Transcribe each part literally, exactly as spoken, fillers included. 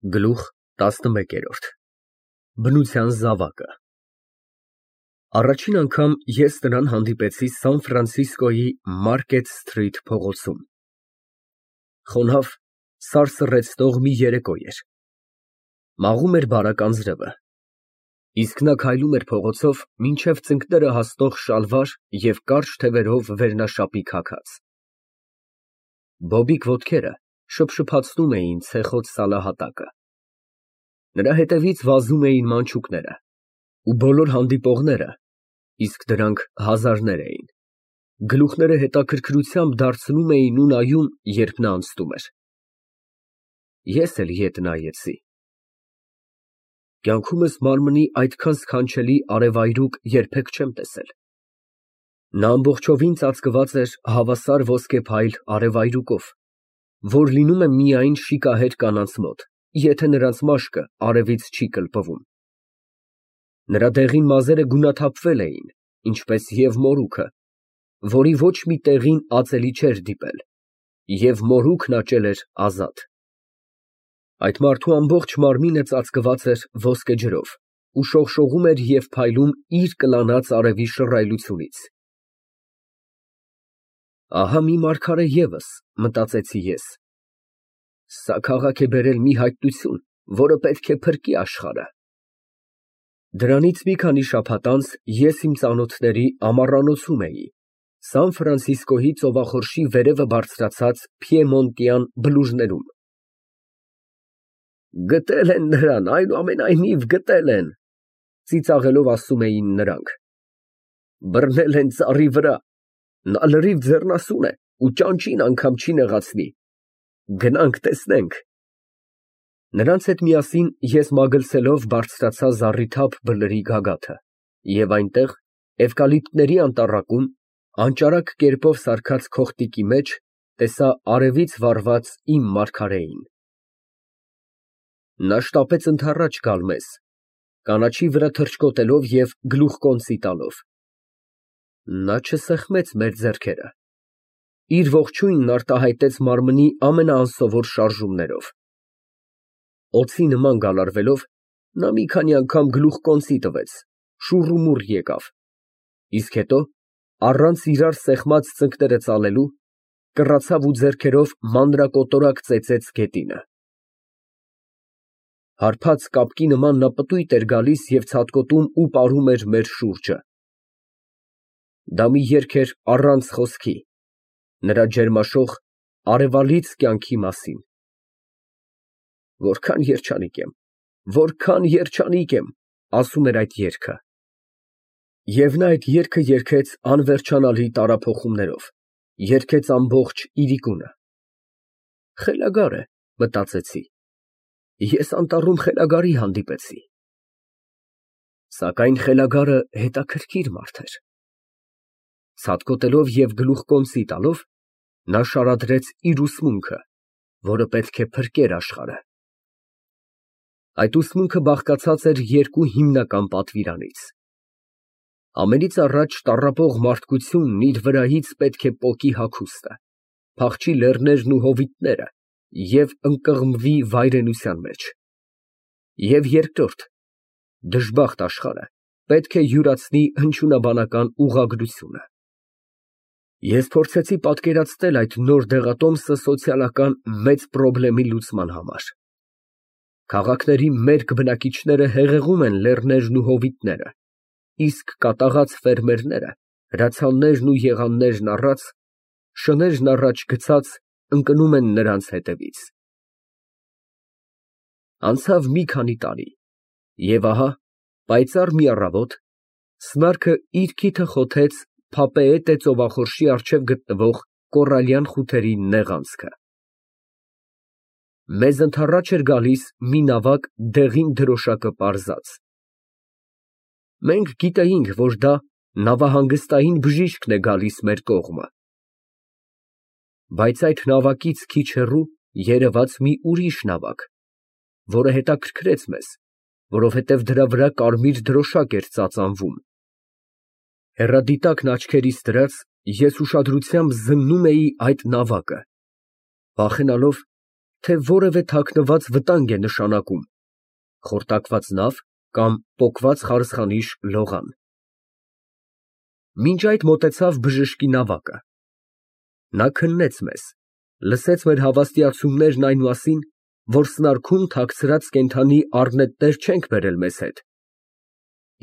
Գլուխ տասնմեկերորդ Բնության զավակը Առաջին անգամ ես նրան հանդիպեցի Սան Ֆրանցիսկոյի Մարկետ Սթրիթ փողոցում։ Խոնավ, սարսռեցնող մի երեկո էր։ Մաղում էր բարակ անձրևը, իսկ նա քայլում էր փողոցով մինչև ծնկները հասնող շալվար և կարճ թևերով վերնաշապի քաքած։ Բոբիկ ոտքերը շփշփացնում էին ցեխոտ սալահատակը։ Նրա հետևից վազում էին մանչուկները, ու բոլոր հանդիպողները, իսկ դրանք հազարներ էին, գլուխները հետաքրքրությամբ դարձնում էին ու նայում, երբ նա անցնում էր։ Ես էլ ետ նայեցի։ Կյանքումս մարմնի այդքան սքանչելի արևայրուք երբեք չեմ տեսել։ Նա ամբողջովին ծածկված էր հավասար ոսկեփայլ արևայրուկով, որ լինում է միայն շիկահեր կանանց մոտ, եթե նրանց մաշկը արևից չի կլպվում։ Նրա դեղին մազերը գունաթափվել էին, ինչպես և մորուքը, որի ոչ մի տեղին ածելի չէր դիպել, և մորուքն աճել էր ազատ։ Այդ մարդու ամբողջ մարմինը ծածկված էր ոսկե ջրով ու շողշողում էր և փայլում իր կլանած արևի շռայլությունից։ Ահա մի մարգարե ևս, մտածեցի ես։ Սա քաղաք է բերել մի հայտնություն, որը պետք է փրկի աշխարհը։ Դրանից մի քանի շաբաթ անց ես իմ ծանոթների ամառանոցում էի Սան Ֆրանցիսկոյի ծովախորշի վերևը բարձրացած Փիեմոնտյան բլուժներում։ Գտել են նրան, այնուամենայնիվ գտել են, ծիծաղելով ասում էին նրանք։ Բռնել են ծառի վրա, նա լրիվ ձեռնասուն է ու ճանճին անգամ չի նեղացնի, գնանք տեսնենք։ Նրանց հետ միասին ես մագլցելով բարձրացա զառիթափ բլրի գագաթը և այնտեղ, էվկալիպտների անտառակում, անճարակ կերպով սարքած քողտիկի մեջ, տեսա արևից վառված իմ մարգարեին։ Նա շտապեց ընդառաջ գալ մեզ, կանաչի վրա թռչկոտելով և գլուխկոնծի տալով։ Նա չսեղմեց մեր ձեռքերը, իր ողջույնն արտահայտեց մարմնի ամենաանսովոր շարժումներով։ Օձի նման գալարվելով, նա մի քանի անգամ գլուխկոնծի տվեց, շուռ ու մուռ եկավ, իսկ հետո, առանց իրար սեղմած ծնկները ծալելու, կռացավ ու ձեռքերով մանրակոտորակ ծեծեց գետինը։ Հարբած կապկի նման նա պտույտ էր գալիս և ցատկոտում ու պարում էր մեր շուրջը։ Դա մի երգ էր առանց խոսքի, նրա ջերմաշող, արևալից կյանքի մասին։ Որքան երջանիկ եմ, որքան երջանիկ եմ, ասում էր այդ երգը։ Եվ նա այդ երգը երգեց անվերջանալի տարափոխումներով, երգեց ամբողջ իրիկունը։ Խելագար է, մտածեցի, ես անտառում խելագարի հանդիպեցի։ Սակայն խելագարը հետաքրքիր մարդ էր։ Ցատկոտելով և գլուխկոնծի տալով, նա շարադրեց իր ուսմունքը, որը պետք է փրկեր աշխարհը։ Այդ ուսմունքը բաղկացած էր երկու հիմնական պատվիրանից։ Ամենից առաջ տառապող մարդկությունն իր վրայից պետք է պոկի հագուստը, փախչի լեռներն ու հովիտները և ընկղմվի վայրենության մեջ։ Եվ երկրորդ, դժբախտ աշխարհը պետք է յուրացնի հնչյունաբանական ուղղագրությունը։ Ես փորձեցի պատկերացնել այդ նոր դեղատոմսը սոցիալական մեծ պրոբլեմի լուծման համար։ Քաղաքների մերկ բնակիչները հեղեղում են լեռներն ու հովիտները, իսկ կատաղած ֆերմերները, հրացաններն ու եղաններն առած, շներն առաջ գցած, ընկնում են նրանց հետևից։ Անցավ մի քանի տարի, և ահա, պայծառ մի առավոտ, սնարքը իր քիթը խոթեց Փապեետե ծովախորշի առջև գտնվող կոռալյան խութերի նեղ անցքը։ Մեզ ընդառաջ էր գալիս մի նավակ դեղին դրոշակը պարզած։ Մենք գիտեինք, որ դա նավահանգստային բժիշկն է գալիս մեր կողմը։ Բայց այդ նավակից քիչ հեռու երևաց մի ուրիշ նավակ, որը հետաքրքրեց մեզ, որովհետև դրա վրա կարմիր դրոշակ էր ծածանվում։ Հեռադիտակն աչքերիս դրած, ես ուշադրությամբ զննում էի այդ նավակը, վախենալով, թե որևէ թաքնված վտանգ է նշանակում, խորտակված նավ կամ պոկված խարսխանիշ լողան։ Մինչ այդ մոտեցավ բժշկի նավակը։ Նա քննեց մեզ, լսեց մեր հավաստիացումներն այն մասին, որ սնարքում թաքցրած կենդանի առնետներ չենք բերել մեզ հետ,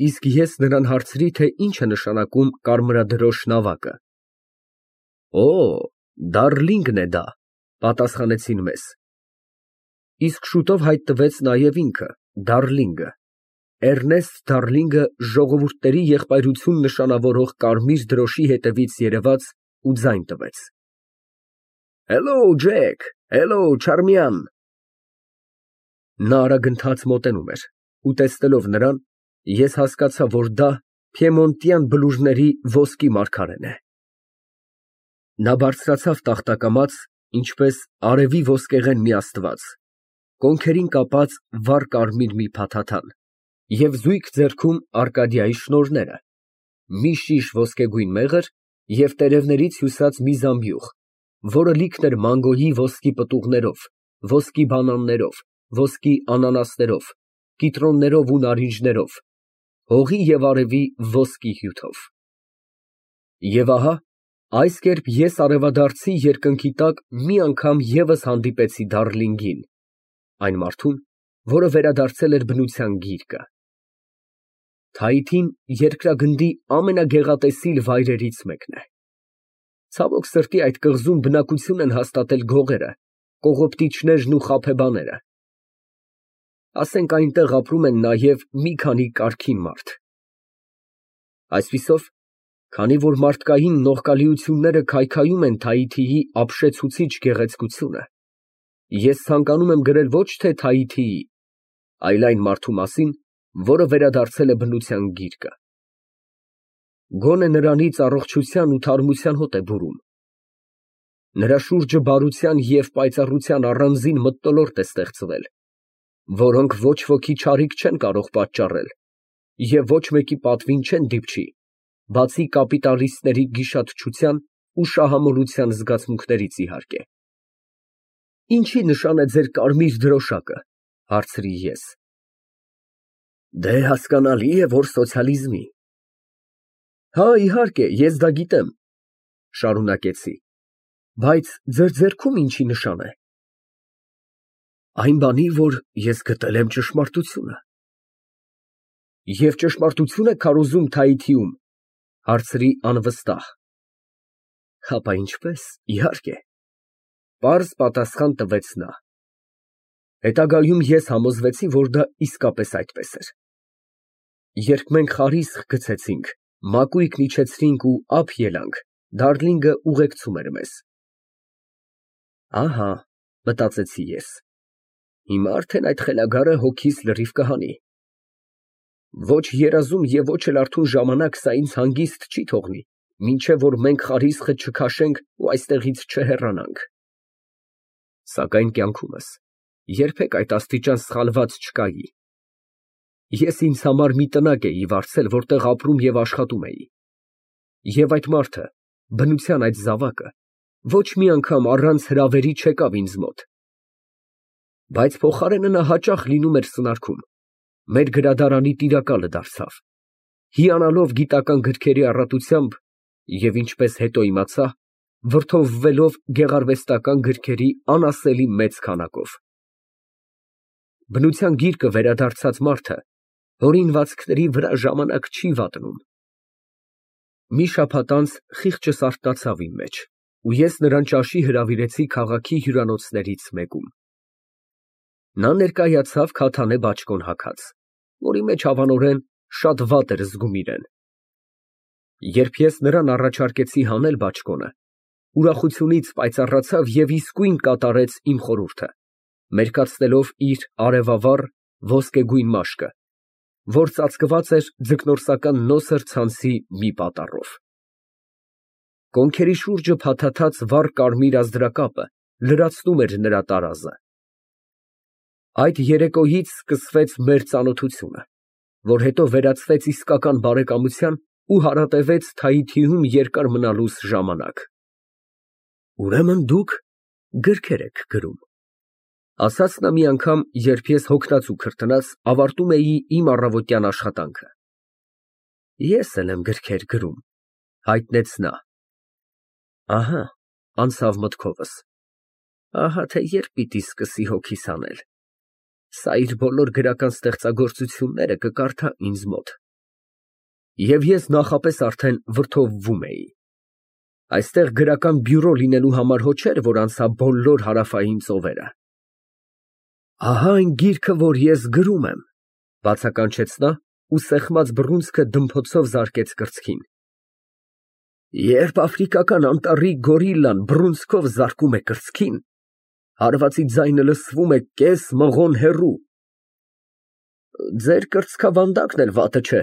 իսկ ես նրան հարցրի, թե ինչ է նշանակում կարմրադրոշ նավակը։ Օ, Դարլինգն է դա, պատասխանեցին մեզ։ Իսկ շուտով հայտնվեց նաև ինքը, Դարլինգը, Էռնեստ Դարլինգը ժողովուրդների եղբայրություն նշանավորող կարմիր դրոշի հետևից երևաց ու ձայն տվեց։ Հելլո, Ջեք, հելլո, Չարմիան։ Նա արագընթաց մոտենում էր, ու տեսնելով նրան, ես հասկացա, որ դա Փիեմոնտյան բլուրների ոսկի մարգարեն է։ Նա բարձրացավ տախտակամաց, ինչպես արևի ոսկեղեն մի աստված, կոնքերին կապած վառ կարմիր մի փաթաթան և զույգ ձեռքում Արկադիայի շնորհները, մի շիշ ոսկեգույն մեղր և տերևներից հյուսած մի զամբյուղ, որը լիքն էր մանգոյի ոսկի պտուղներով, ոսկի բանաններով, ոսկի անանասներով, կիտրոններով ու նարինջներով, հողի և արևի ոսկի հյութով։ Եվ ահա, այս կերպ ես արևադարձի երկնքի տակ մի անգամ ևս հանդիպեցի Դարլինգին, այն մարդուն, որը վերադարձել էր բնության գիրկը։ Թայիթին երկրագնդի ամենագեղատեսիլ վայրերից մեկն է։ Ցավոք սրտի, այդ կղզում բնակություն են հաստատել գողերը, կողոպտիչներն ու խաբեբաները։ Ասենք այնտեղ ապրում են նաև մի քանի կարգին մարդ։ Այսպիսով, քանի որ մարդկային նողկալիությունները քայքայում են Թայիթիի ապշեցուցիչ գեղեցկությունը, ես ցանկանում եմ գրել ոչ թե Թայիթիի, այլ այն մարդու մասին, որը վերադարձել է բնության գիրկը։ Գոնե նրանից առողջության ու թարմության հոտ է բուրում։ Նրա շուրջը բարության և պայծառության առանձին մթնոլորտ է ստեղծվել, որոնք ոչ ոքի չարիք չեն կարող պատճառել և ոչ մեկի պատվին չեն դիպչի, բացի կապիտալիստների գիշատչության ու շահամոլության զգացմունքներից, իհարկե։ Ինչի նշան է ձեր կարմիր դրոշակը, հարցրի ես։ Դե հասկանալի է, որ սոցիալիզմի։ Հա, իհարկե, ես դա գիտեմ, շարունակեցի, բայց ձեր ձեռքում ինչի նշան է։ Այն բանի, որ ես գտել եմ ճշմարտությունը։ Եվ ճշմարտություն եք քարոզում Թայիթիում, հարցրի անվստահ։ Հապա ինչպես, իհարկե, պարզ պատասխան տվեց նա։ Հետագայում ես համոզվեցի, որ դա իսկապես այդպես էր։ Երբ մենք խարիսխ գցեցինք, մակույկն իջեցրինք ու ափ ելանք, Դարլինգը ուղեկցում էր մեզ։ Ահա, մտածեցի ես, հիմա արդեն այդ խելագարը հոգիս լրիվ կհանի։ Ոչ երազում և ոչ էլ արթուն ժամանակ սա ինձ հանգիստ չի թողնի, մինչև որ մենք խարիսխը չքաշենք ու այստեղից չհեռանանք։ Սակայն կյանքումս երբեք այդ աստիճան սխալված չկայի։ Ես ինձ համար մի տնակ էի վարձել, որտեղ ապրում և աշխատում էի։ Եվ այդ մարդը, բնության այդ զավակը, ոչ մի անգամ առանց հրավերի չեկավ ինձ մոտ։ Բայց փոխարենը նա հաճախ լինում էր սնարքում, մեր գրադարանի տիրակալը դարձավ, հիանալով գիտական գրքերի առատությամբ և, ինչպես հետո իմացա, վրդովվելով գեղարվեստական գրքերի անասելի մեծ քանակով։ Բնության գիրկը վերադարձած մարդը հորինվածքների վրա ժամանակ չի վատնում։ Մի շաբաթ անց խիղճս արթնացավ իմ մեջ, ու ես նրան ճաշի հրավիրեցի քաղաքի հյուրանոցներից մեկում։ Նա ներկայացավ քաթանե բաճկոն հագած, որի մեջ հավանորեն շատ վատ էր զգում իրեն։ Երբ ես նրան առաջարկեցի հանել բաճկոնը, ուրախությունից պայծառացավ և իսկույն կատարեց իմ խորհուրդը, մերկացնելով իր արևավառ ոսկեգույն մաշկը, որ ծածկված էր ձկնորսական նոսր ցանցի մի պատառով։ Կոնքերի շուրջը փաթաթած վառ կարմիր ազդրակապը լրացնում էր նրա տարազը։ Այդ երեկոյից սկսվեց մեր ծանոթությունը, որ հետո վերածվեց իսկական բարեկամության ու հարատևեց Թայիթիում երկար մնալուս ժամանակ։ Ուրեմն դուք գրքեր եք գրում։ Ասաց նա մի անգամ, երբ ես հոգնած ու քրտնած ավարտում էի իմ առավոտյան աշխատանքը։ Ես էլ եմ գրքեր գրում, հայտնեց նա։ Ահա, անցավ մտքովս, ահա թե երբ պիտի սկսի հոգիս հանել, սա իր բոլոր գրական ստեղծագործությունները կկարդա ինձ մոտ։ Եվ ես նախապես արդեն վրդովվում էի։ Այստեղ գրական բյուրո լինելու համար հո չէր, որ անցա բոլոր հարավային ծովերը։ Ահա այն գիրքը, որ ես գրում եմ, բացականչեց նա ու սեղմած բռունցքը դմփոցով զարկեց կրծքին։ Երբ աֆրիկական անտառի գորիլլան բռունցքով զարկում է կրծքին, հարվածի ձայնը լսվում է կես մղոն հեռու։ Ձեր կրծքավանդակն էլ վատը չէ,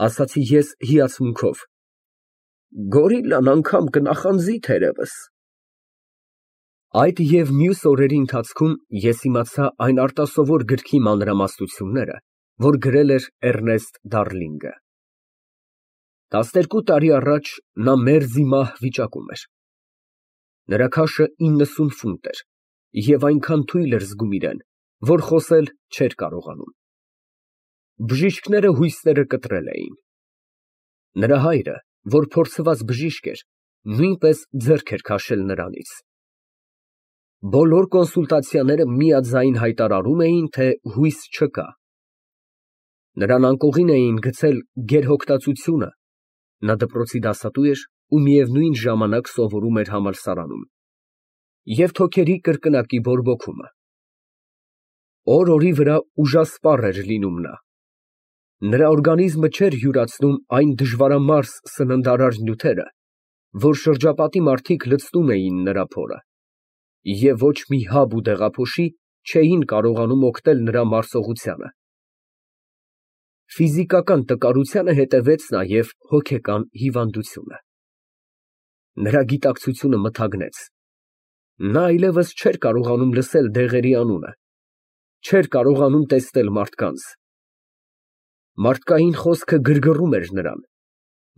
ասացի ես հիացմունքով։ Գորիլլան անգամ կնախանձի թերևս։ Այդ և մյուս օրերի ընթացքում ես իմացա այն արտասովոր գրքի մանրամասնությունները, որ գրել էր Էռնեստ Դարլինգը։ Տասներկու տարի առաջ նա մերձիմահ վիճակում էր։ Նրա քաշը իննսուն ֆունտ էր և այնքան թույլ էր զգում իրան, որ խոսել չէր կարողանում։ Բժիշկները հույսները կտրել էին։ Նրա հայրը, որ փորձված բժիշկ էր, նույնպես ձեռք էր քաշել նրանից։ Բոլոր կոնսուլտացիաները միաձայն հայտարարում էին, թե հույս չկա։ Նրան անկողին էին գցել գերհոգտածությունը, նա դպրոցի դասատու էր ու միևնույն ժամանակ սովորում էր համալսարանում, և թոքերի կրկնակի բորբոքումը։ Օր֊օրի վրա ուժասպառ էր լինում նա։ Նրա օրգանիզմը չէր յուրացնում այն դժվարամարս սննդարար նյութերը, որ շրջապատի մարդիկ լցնում էին նրա փորը, և ոչ մի հաբ ու դեղափոշի չէին կարողանում օգնել նրա մարսողությանը։ Ֆիզիկական տկարությանը հետևեց նաև հոգեկան հիվանդությունը։ Նրա գիտակցությունը մթագնեց։ Նա այլևս չէր կարողանում լսել դեղերի անունը, չէր կարողանում տեսնել մարդկանց։ Մարդկային խոսքը գրգռում էր նրան,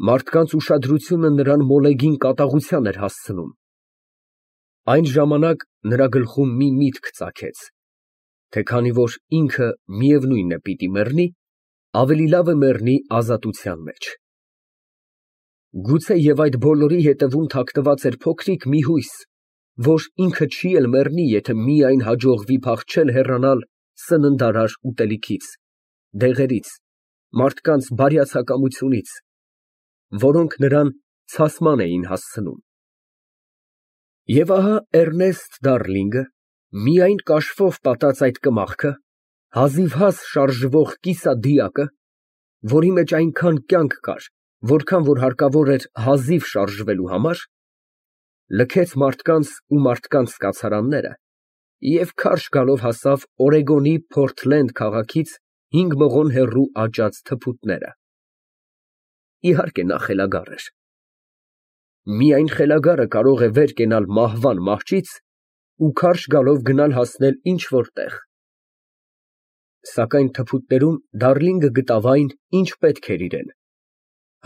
մարդկանց ուշադրությունը նրան մոլեգին կատաղության էր հասցնում։ Այն ժամանակ նրա գլխում մի միտք ծագեց, թե քանի որ ինքը միևնույն է պիտի մեռնի, ավելի լավ է մեռնի ազատության մեջ։ Գուցե և այդ բոլորի հետևում թաքնված էր փոքրիկ մի հույս, որ ինքը չի էլ մեռնի, եթե միայն հաջողվի փախչել հեռանալ սննդարար ուտելիքից, դեղերից, մարդկանց բարյացակամությունից, որոնք նրան ցասման էին հասցնում։ Եվ ահա Էռնեստ Դարլինգը, միայն կաշվով պատած այդ կմախքը, հազիվհազ շարժվող կիսադիակը, որի մեջ այնքան կյանք կար, որքան որ հարկավոր էր հազիվ շարժվելու համար, լքեց մարդկանց ու մարդկանց կացարանները և քարշ գալով հասավ Օրեգոնի Փորթլենդ քաղաքից հինգ մղոն հեռու աճած թփուտները։ Իհարկե նա խելագար էր։ Միայն խելագարը կարող է վեր կենալ մահվան մահճից ու քարշ գալով գնալ հասնել ինչ֊որ տեղ։ Սակայն թփուտներում Դարլինգը գտավ այն, ինչ պետք էր իրան՝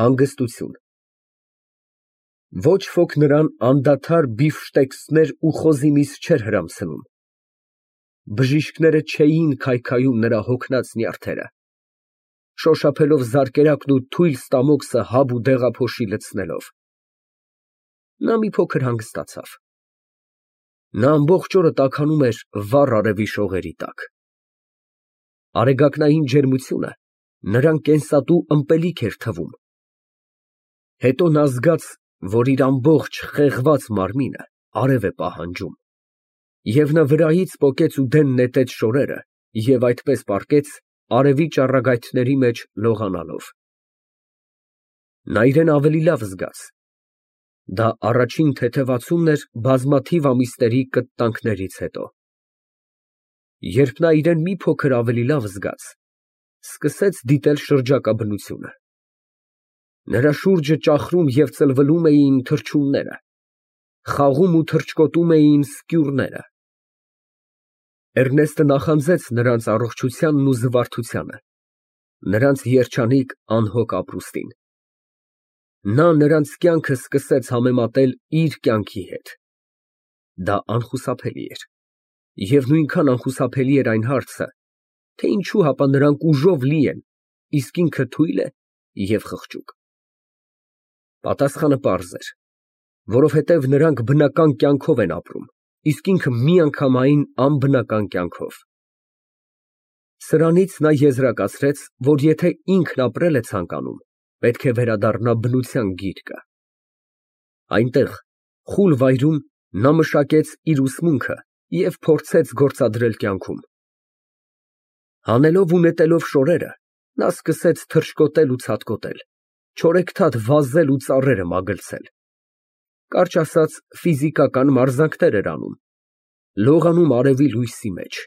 հանգստություն։ Ոչ ոք նրան անդադար բիֆշտեքսներ ու խոզի միս չէր հրամցնում։ Բժիշկները չէին քայքայում նրա հոգնած նյարդերը, շոշափելով զարկերակն ու թույլ ստամոքսը հաբ ու դեղափոշի լցնելով։ Նա մի փոքր հանգստացավ։ Նա ամբողջ օրը տաքանում էր վառ արևի շողերի տակ։ Արեգակնային ջերմությունը նրան կենսատու ըմպելիք էր թվում։ Հետո նա զգաց, որ իր ամբողջ խեղված մարմինը արև է պահանջում, և նա վրայից պոկեց ու դեն նետեց շորերը և այդպես պառկեց արևի ճառագայթների մեջ լողանալով։ Նա իրան ավելի լավ զգաց։ Դա առաջին թեթևացումն էր բազմաթիվ ամիսների կտտանքներից հետո։ Երբ նա իրան մի փոքր ավելի լավ զգաց, սկսեց դիտել շրջակա բնությունը։ Նրա շուրջը ճախրում և ծլվլում էին թռչունները, խաղում ու թռչկոտում էին սկյուռները։ Էռնեստը նախանձեց նրանց առողջությանն ու զվարթությանը, նրանց երջանիկ անհոգ ապրուստին։ Նա նրանց կյանքը սկսեց համեմատել իր կյանքի հետ։ Դա անխուսափելի էր, Եվ նույնքան անխուսափելի էր այն հարցը, թե ինչու հապա նրանք ուժով լի են, իսկ ինքը թույլ է և խղճուկ։ Պատասխանը պարզ էր, որովհետև նրանք բնական կյանքով են ապրում, իսկ ինքը միանգամայն անբնական կյանքով։ Սրանից նա եզրակացրեց, որ եթե ինքն ապրել է ցանկանում, պետք է վերադառնա բնության գիրկը։ Այնտեղ, խուլ վայրում, նա մշակեց իր ուսմունքը և փորձեց գործադրել կյանքում։ Հանելով ու նետելով շորերը, նա սկսեց թռչկոտել ու ցատկոտել, չորեքթաթ վազել ու ծառերը մագլցել, կարճ ասած, ֆիզիկական մարզանքներ էր անում, լողանում արևի լույսի մեջ։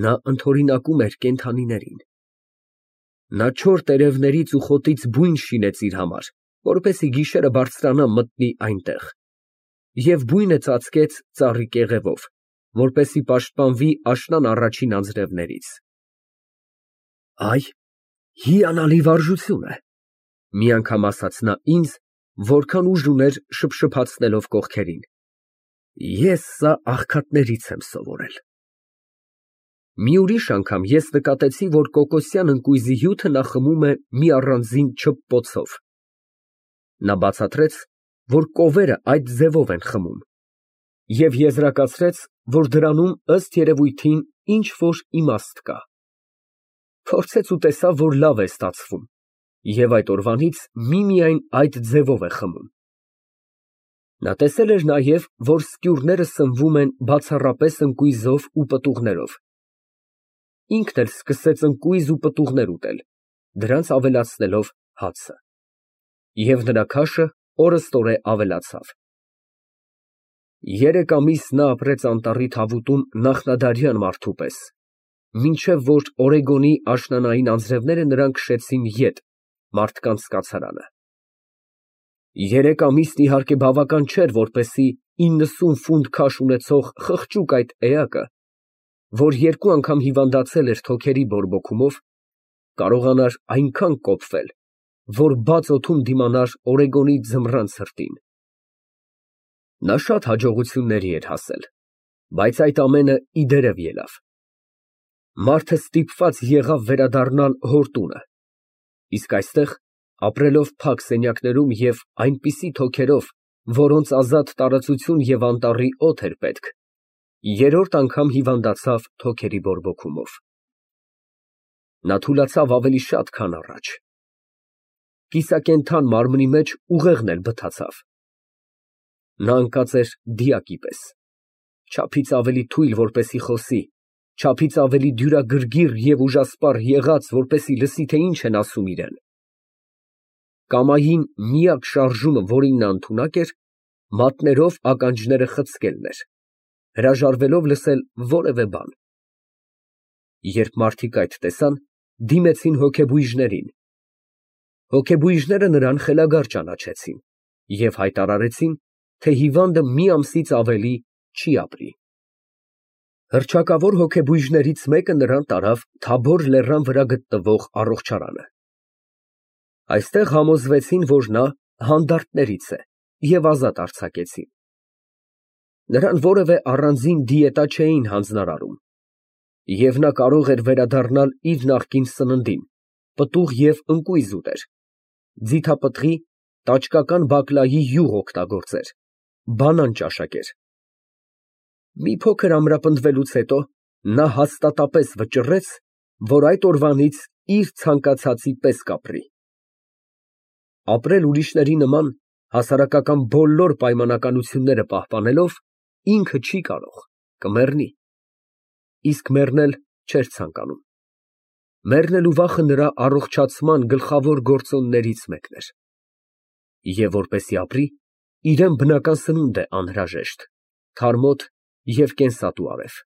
Նա ընդօրինակում էր կենդանիներին։ Նա չոր տերևներից ու խոտից բույն շինեց իր համար, որպեսզի գիշերը բարձրանա մտնի այնտեղ, և բույնը ծածկեց ծառի կեղևով, որպեսզի պաշտպանվի աշնան առաջին անձրևներից։ Այ, հիանալի վարժություն է, մի անգամ ասաց նա ինձ, որքան ուժ ուներ շփշփացնելով կողքերին, ես սա աղքատներից եմ սովորել։ Մի ուրիշ անգամ ես նկատեցի, որ կոկոսյան ընկույզի հյութը նա խմում է մի առանձին չփպոցով։ Նա բացատրեց, որ կովերը այդ ձևով են խմում, և եզրակացրեց, որ դրանում, ըստ երևույթին, ինչ֊որ իմաստ կա։ Փորձեց ու տեսավ, որ լավ է ստացվում, և այդ օրվանից միմիայն այդ ձևով է խմում։ Նա տեսել էր նաև, որ սկյուրները սնվում են բացառապես ընկույզով ու պտուղներով։ Ինքն էլ սկսեց ընկույզ ու պտուղներ ուտել, դրանց ավելացնելով հացը։ Եվ նրա քաշը օրըստօրե ավելացավ։ Երեք ամիս նա ապրեց անտառի թավուտում նախնադարյան մարդու պես, մինչև որ Օրեգոնի աշնանային անձրևները նրան քշեցին ետ, մարդկանց կացարանը։ Երեք ամիսն իհարկե բավական չէր, որպեսզի իննսուն ֆունտ քաշ ունեցող խղճուկ այդ էակը, որ երկու անգամ հիվանդացել էր թոքերի բորբոքումով, կարողանար այնքան կոփվել, որ բաց օդում դիմանար Օրեգոնի ձմռան ցրտին։ Նա շատ հաջողությունների էր հասել, բայց այդ ամենը ի դերև ելավ։ Մարդը ստիպված եղավ վերադառնալ հոր տունը, իսկ այստեղ, ապրելով փակ սենյակներում և այնպիսի թոքերով, որոնց ազատ տարածություն և անտառի օդ էր պետք, երրորդ անգամ հիվանդացավ թոքերի բորբոքումով։ Նա թուլացավ ավելի շատ, քան առաջ։ Կիսակենդան մարմնի մեջ ուղեղն էլ բթացավ։ Նա ընկած էր դիակի պես, չափից ավելի թույլ, որպեսզի խոսի, չափից ավելի դյուրագրգիռ և ուժասպառ եղած, որպեսզի լսի, թե ինչ են ասում իրան։ Կամային միակ շարժումը, որին նա ընդունակ էր, մատներով ականջները խցկելն էր, հրաժարվելով լսել որևէ բան։ Երբ մարդիկ այդ տեսան, դիմեցին հոգեբույժներին։ Հոգեբույժները նրան խելագար ճանաչեցին և հայտարարեցին, թե հիվանդը մի ամսից ավելի չի ապրի։ Հռչակավոր հոգեբույժներից մեկը նրան տարավ Թաբոր լեռան վրա գտնվող առողջարանը։ Այստեղ համոզվեցին, որ նա հանդարտներից է, և ազատ արձակեցին։ Նրան որևէ առանձին դիետա չէին հանձնարարում, և նա կարող էր վերադառնալ իր նախկին սննդին, պտուղ և ընկույզ ուտեր, ձիթապտղի, տաճկական բակլայի յուղ օգտագործեր, բանան ճաշակեր։ Մի փոքր ամրապնդվելուց հետո նա հաստատապես վճռեց, որ այդ օրվանից իր ցանկացածի պես կապրի։ Ապրել ուրիշների նման, հասարակական բոլոր պայմանականությունները պահպանելով, ինքը չի կարող, կմեռնի, իսկ մեռնել չէր ցանկանում։ Մեռնելու վախը նրա առողջացման գլխավոր գործոններից մեկն էր։ Եվ որպեսզի ապրի, իրան բնական սնունդ է անհրաժեշտ, թարմոտ և կենսատու արև։